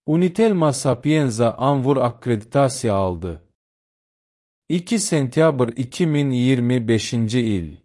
Unitelma Sapienza Anvur akkreditasiya aldı. 2 sentyabr 2025 il.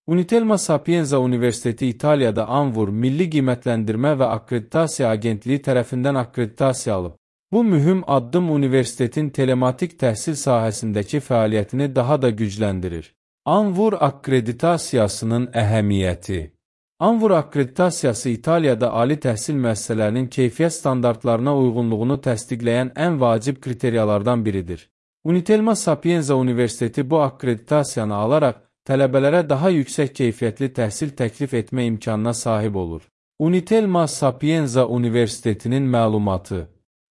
Unitelma Sapienza Universiteti İtalya'da Anvur Milli Qiymətləndirmə və Akkreditasiya Agentliyi tərəfindən akkreditasiya alıb. Bu mühüm addım universitetin telematik təhsil sahəsindəki fəaliyyətini daha da gücləndirir. Anvur akkreditasiyasının əhəmiyyəti. Anvur akkreditasiyası İtaliyada ali təhsil müəssisələrinin keyfiyyət standartlarına uyğunluğunu təsdiqləyən ən vacib kriteriyalardan biridir. Unitelma Sapienza Universiteti bu akkreditasiyanı alaraq tələbələrə daha yüksək keyfiyyətli təhsil təklif etmə imkanına sahib olur. Unitelma Sapienza Universitetinin məlumatı.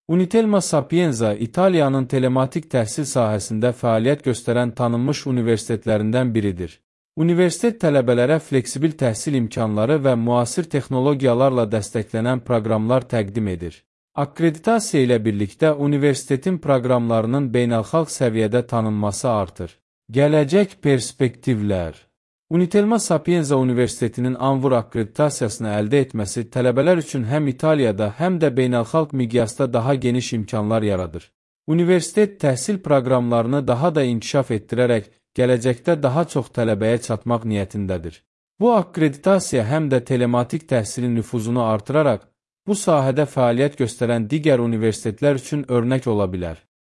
Unitelma Sapienza İtaliyanın telematik təhsil sahəsində fəaliyyət göstərən tanınmış universitetlərindən biridir. Universitet tələbələrə fleksibil təhsil imkanları və müasir texnologiyalarla dəstəklənən proqramlar təqdim edir. Akkreditasiya ilə birlikdə universitetin proqramlarının beynəlxalq səviyyədə tanınması artır. Gələcək perspektivlər. Unitelma Sapienza Universitetinin Anvur akkreditasiyasını əldə etməsi tələbələr üçün həm İtaliyada, həm də beynəlxalq miqyasda daha geniş imkanlar yaradır. Universitet təhsil proqramlarını daha da inkişaf etdirərək, gələcəkdə daha çox tələbəyə çatmaq niyyətindədir. Bu akkreditasiya həm də telematik təhsilin nüfuzunu artıraraq, bu sahədə fəaliyyət göstərən digər universitetlər üçün örnək ola bilər.